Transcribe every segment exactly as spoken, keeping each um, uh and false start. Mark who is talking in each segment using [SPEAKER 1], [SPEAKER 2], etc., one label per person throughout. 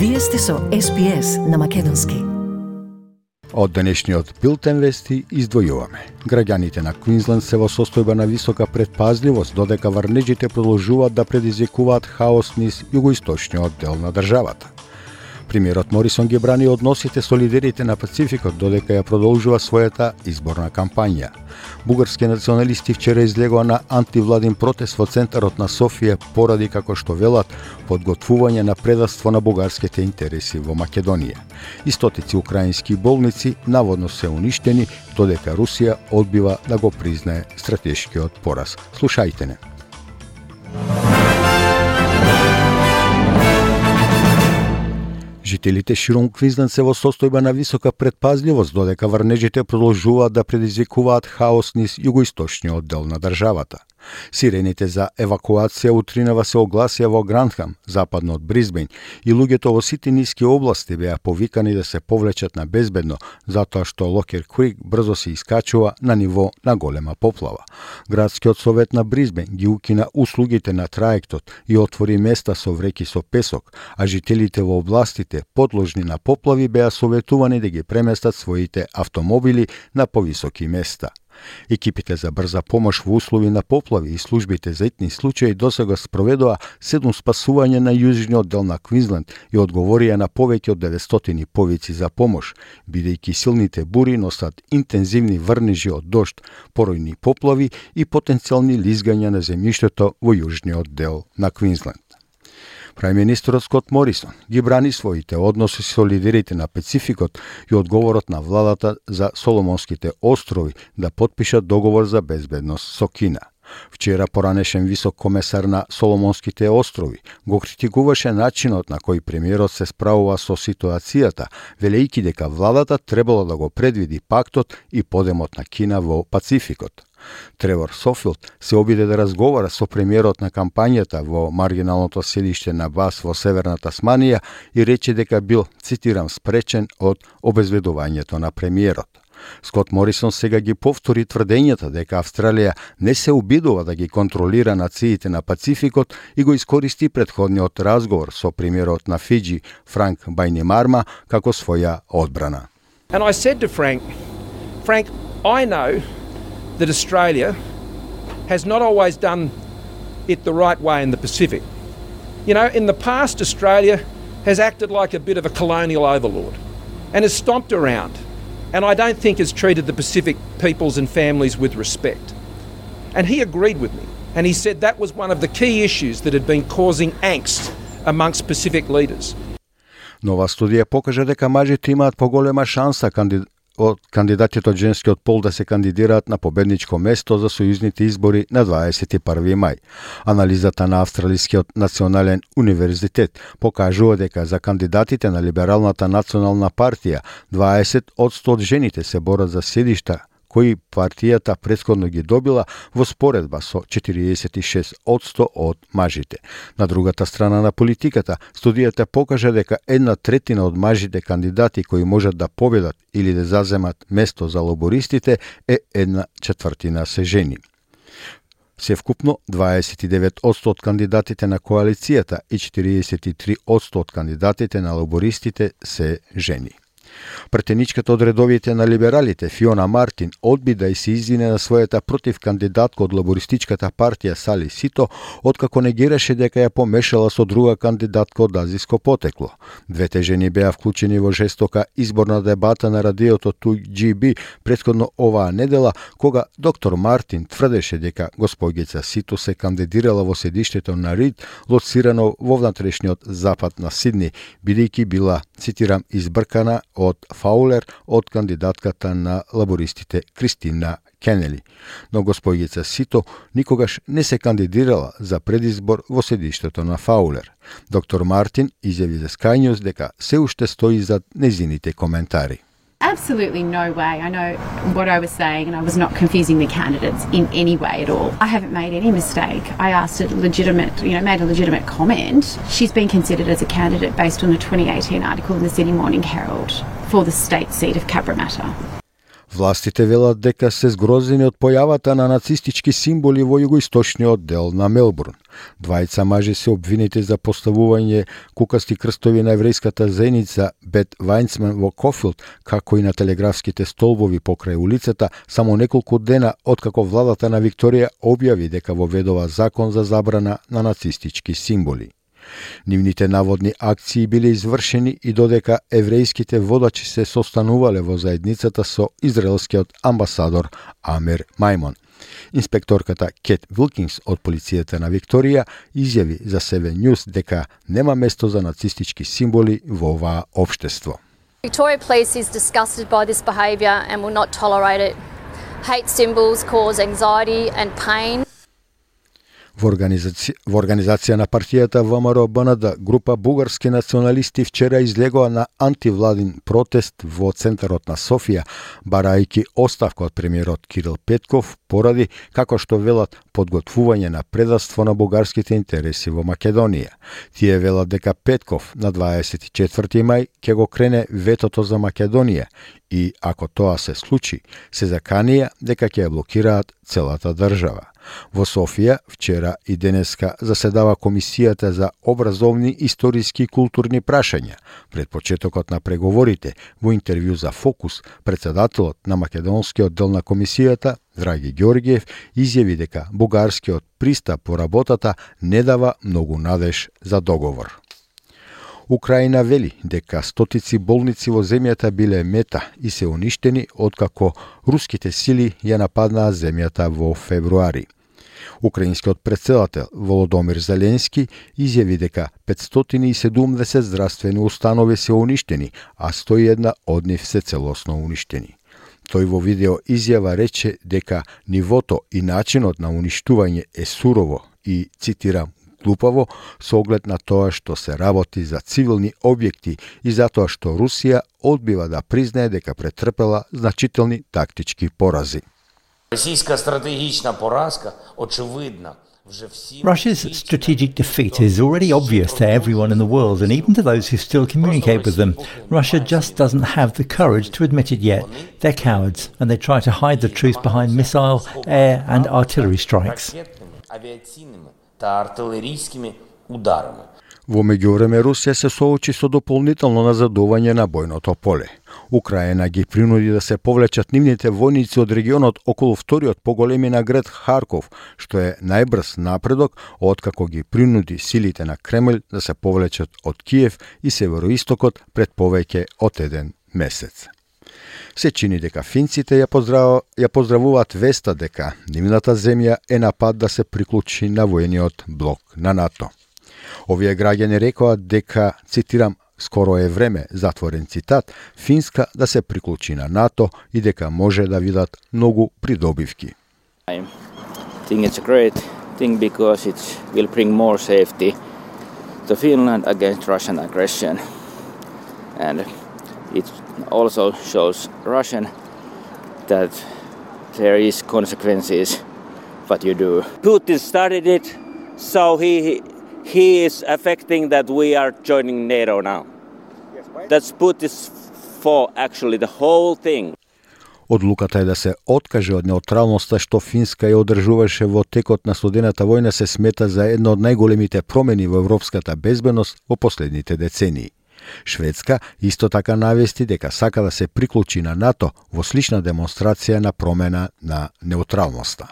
[SPEAKER 1] Вие сте со Ес Би Ес на македонски.
[SPEAKER 2] Од денешниот билтен вести издвојуваме. Граѓаните на Квинсленд се во состојба на висока предпазливост, додека врнежите продолжуваат да предизвикуваат хаос низ југоисточниот дел на државата. Премиерот Морисон ги брани односите со лидерите на Пацификот, додека ја продолжува својата изборна кампања. Бугарски националисти вчера излегоа на антивладин протест во центарот на Софија поради, како што велат, подготвување на предавство на бугарските интереси во Македонија. И стотици украински болници наводно се уништени, додека Русија одбива да го признае стратешкиот пораз. Слушајте не. Жителите широм Квинсленд се во состојба на висока предпазливост, додека врнежите продолжуваат да предизвикуваат хаос низ југоисточниот дел на државата. Сирените за евакуација утринава се огласија во Грандхам, западно од Брисбејн, и луѓето во сите ниски области беа повикани да се повлечат на безбедно, затоа што Локер Крик брзо се искачува на ниво на голема поплава. Градскиот совет на Брисбејн ги укина услугите на траектот и отвори места со вреки со песок, а жителите во областите подложни на поплави беа советувани да ги преместат своите автомобили на повисоки места. Екипите за брза помош во услови на поплави и службите за итни случаи досега спроведоа седум спасување на јужниот дел на Квинсленд и одговорија на повеќе од деветстотини повици за помош, бидејќи силните бури носат интензивни врнежи од дожд, поројни поплави и потенцијални лизгања на земјиштето во јужниот дел на Квинсленд. Премиерот Скот Морисон ги брани своите односи со лидерите на Пацификот и одговорот на владата за Соломонските острови да потпишат договор за безбедност со Кина. Вчера поранешен висок комесар на Соломонските острови го критикуваше начинот на кој премиерот се справува со ситуацијата, велејќи дека владата требало да го предвиди пактот и подемот на Кина во Пацификот. Тревор Софилд се обиде да разговара со премиерот на кампањата во маргиналното селиште на Бас во Северна Тасманија и рече дека бил, цитирам, спречен од обезведувањето на премиерот. Скот Морисон сега ги повтори тврдењата дека Австралија не се обидува да ги контролира нациите на Пацификот и го искористи претходниот разговор со премиерот на Фиџи, Франк Бајнимарма, како своја одбрана.
[SPEAKER 3] And I said to Frank, Frank, I know that Australia has not always done it the right way in the Pacific. You know, in the past, Australia has acted like a bit of a colonial overlord and has stomped around, and I don't think has treated the Pacific peoples and families with respect. And he agreed with me, and he said that was one of the key issues that had been causing angst amongst Pacific leaders.
[SPEAKER 2] Нова студија покажа дека мажите имаат поголема шанса кандидат од кандидатите од женскиот пол да се кандидираат на победничко место за сојузните избори на дваесет и први мај. Анализата на Австралискиот национален универзитет покажува дека за кандидатите на Либералната национална партија дваесет одсто од жените се борат за седишта кои партијата претходно ги добила во споредба со четириесет и шест одсто од мажите. На другата страна на политиката, студијата покажа дека една третина од мажите кандидати кои можат да победат или да заземат место за лабористите е една четвртина се жени. Севкупно дваесет и девет одсто од кандидатите на коалицијата и четириесет и три одсто од кандидатите на лабористите се жени. Претеничката од редовите на либералите Фиона Мартин одби да и се извине на својата против кандидатка од лабористичката партија Сали Сито, откако негираше дека ја помешала со друга кандидатка од азиско потекло. Двете жени беа вклучени во жестока изборна дебата на радиото ту џи би претходно оваа недела, кога доктор Мартин тврдеше дека госпоѓица Сито се кандидирала во седиштето на Рид, лоцирано во внатрешниот запад на Сидни, бидејќи била, цитирам, избркана од Фаулер од кандидатката на лабористите Кристина Кенели. Но госпоѓица Сито никогаш не се кандидирала за предизбор во седиштето на Фаулер. Доктор Мартин изјави за Sky News дека се уште стои зад незините коментари.
[SPEAKER 4] Absolutely no way. I know what I was saying and I was not confusing the candidates in any way at all. I haven't made any mistake. I asked a legitimate, you know, made a legitimate comment. She's been considered as a candidate based on the twenty eighteen article in the Sydney Morning Herald for the state seat of Cabramatta.
[SPEAKER 2] Властите велат дека се згрозени од појавата на нацистички символи во југоисточниот дел на Мелбурн. Двајца мажи се обвинети за поставување кукасти крстови на еврејската заедница Бет Вајнцман во Кофилд, како и на телеграфските столбови покрај улицата, само неколку дена откако владата на Викторија објави дека воведува закон за забрана на нацистички символи. Нивните наводни акции биле извршени и додека еврејските водачи се состанувале во заедницата со израелскиот амбасадор Амер Мајмон. Инспекторката Кет Вилкинс од полицијата на Викторија изјави за Seven News дека нема место за нацистички символи во оваа општество.
[SPEAKER 5] Victoria Police is disgusted by this behaviour and will not tolerate it. Hate symbols cause anxiety and pain.
[SPEAKER 2] Во организација, во организација на партијата ВМРО-БНД, група бугарски националисти вчера излегоа на антивладин протест во центарот на Софија, барајќи оставка од премиерот Кирил Петков поради, како што велат, подготвување на предавство на бугарските интереси во Македонија. Тие велат дека Петков на дваесет и четврти мај ќе го крене ветото за Македонија и, ако тоа се случи, се заканија дека ќе ја блокираат целата држава. Во Софија вчера и денеска заседава Комисијата за образовни, историски и културни прашања. Пред почетокот на преговорите, во интервју за Фокус, председателот на македонскиот дел на Комисијата, Драги Ѓорѓиев, изјави дека бугарскиот пристап по работата не дава многу надеж за договор. Украина вели дека стотици болници во земјата биле мета и се уништени откако руските сили ја нападнаа земјата во февруари. Украинскиот претседател Володомир Зеленски изјави дека петстотини и седумдесет здравствени установи се уништени, а сто и една од нив се целосно уништени. Тој во видео изјава рече дека нивото и начинот на уништување е сурово и, цитирам, глупаво со оглед на тоа што се работи за цивилни објекти и затоа што Русија одбива да признае дека претрпела значителни тактички порази.
[SPEAKER 6] Російська стратегічна поразка очевидна.
[SPEAKER 7] Russia's strategic defeat is already obvious to everyone in the world and even to those who still communicate with them. Russia just doesn't have the courage to admit it yet. They're cowards and they try to hide the truth behind missile, air and artillery strikes.
[SPEAKER 2] Во меѓувреме Русија се соочи со дополнително назадување на бојното поле. Украина ги принуди да се повлечат нивните војници од регионот околу вториот поголемина град Харков, што е најбрз напредок откако ги принуди силите на Кремљ да се повлечат од Киев и североистокот пред повеќе од еден месец. Се чини дека финците ја, поздрав... ја поздравуваат веста дека нивната земја е на пат да се приклучи на војниот блок на НАТО. Овие граѓани рекоа дека, цитирам, скоро е време, затворен цитат, Финска да се приклучи на НАТО и дека може да видат многу придобивки.
[SPEAKER 8] I think it's a great thing because it will bring more safety to Finland against Russian aggression. And it also shows Russian that there is consequences what you do.
[SPEAKER 9] Putin started it, so he he is affecting that we are joining NATO now. That's Putin's fault, actually, the whole thing.
[SPEAKER 2] Одлуката е да се откаже од неутралноста што Финска ја одржуваше во текот на студената војна се смета за една од најголемите промени во европската безбедност во последните децении. Шведска исто така навести дека сака да се приклучи на НАТО во слична демонстрација на промена на неутралноста.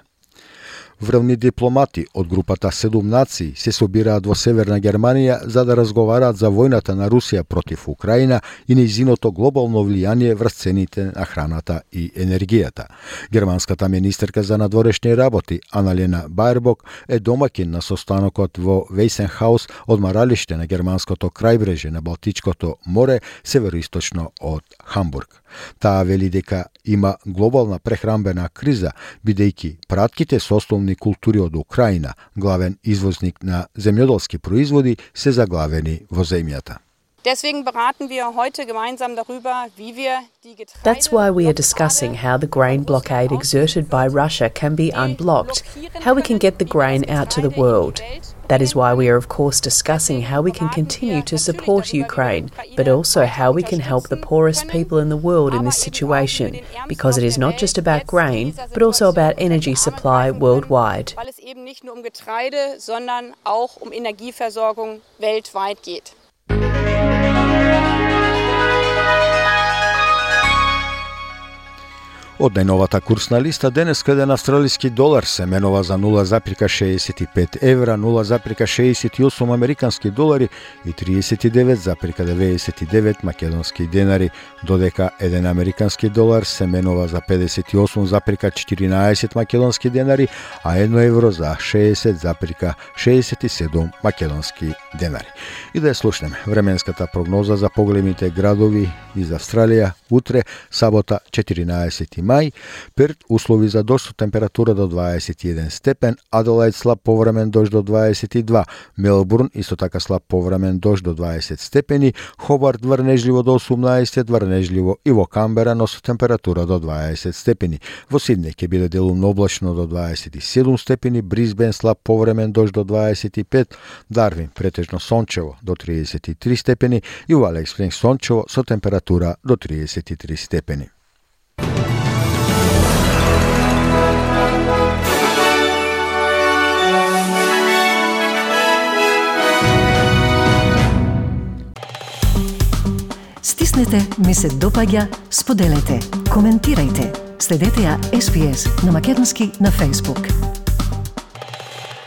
[SPEAKER 2] Врвни дипломати од групата седум нации се собираат во Северна Германија за да разговараат за војната на Русија против Украина и нејзиното глобално влијание врз цените на храната и енергијата. Германската министерка за надворешни работи Аналена Баербок е домаќин на состанокот во Вейсенхаус, одмаралиште на германското крајбреже на Балтичкото море, североисточно од Хамбург. Таа вели дека има глобална прехранбена криза, бидејќи пратките со основни култури од Украина, главен извозник на земјоделски производи, се заглавени во земјата.
[SPEAKER 10] That's why we are discussing how the grain blockade exerted by Russia can be unblocked, how we can get the grain out to the world. That is why we are of course discussing how we can continue to support Ukraine, but also how we can help the poorest people in the world in this situation, because it is not just about grain, but also about energy supply worldwide.
[SPEAKER 2] Од најновата курсна листа денеска еден австралиски долар се менува за нула запирка шеесет и пет евра, нула запирка шеесет и осум американски долари и триесет и девет запирка деветдесет и девет македонски денари, додека еден американски долар се менува за педесет и осум запирка четиринаесет македонски денари, а едно евро за шеесет запирка шеесет и седум македонски денари. И да ја слушнеме временската прогноза за поголемите градови из Австралија утре, сабота четиринаесети мај, Перт услови за дожд со температура до дваесет и еден степен, Аделајд слаб повремен дожд до дваесет и два, Мелбурн исто така слаб повремен дожд до дваесет степени, Хобарт врнежливо до осумнаесет, врнежливо и во Камбера, но со температура до дваесет степени. Во Сиднеј ќе биде делумно облачно до дваесет и седум степени, Брисбен слаб повремен дожд до дваесет и пет, Дарвин претежно сончево до триесет и три степени и во Алекс Спрингс сончево со температура до триесет и три степени.
[SPEAKER 1] Стиснете, ми се допаѓа, споделете, коментирајте. Следете ја Ес Би Ес на македонски на Facebook.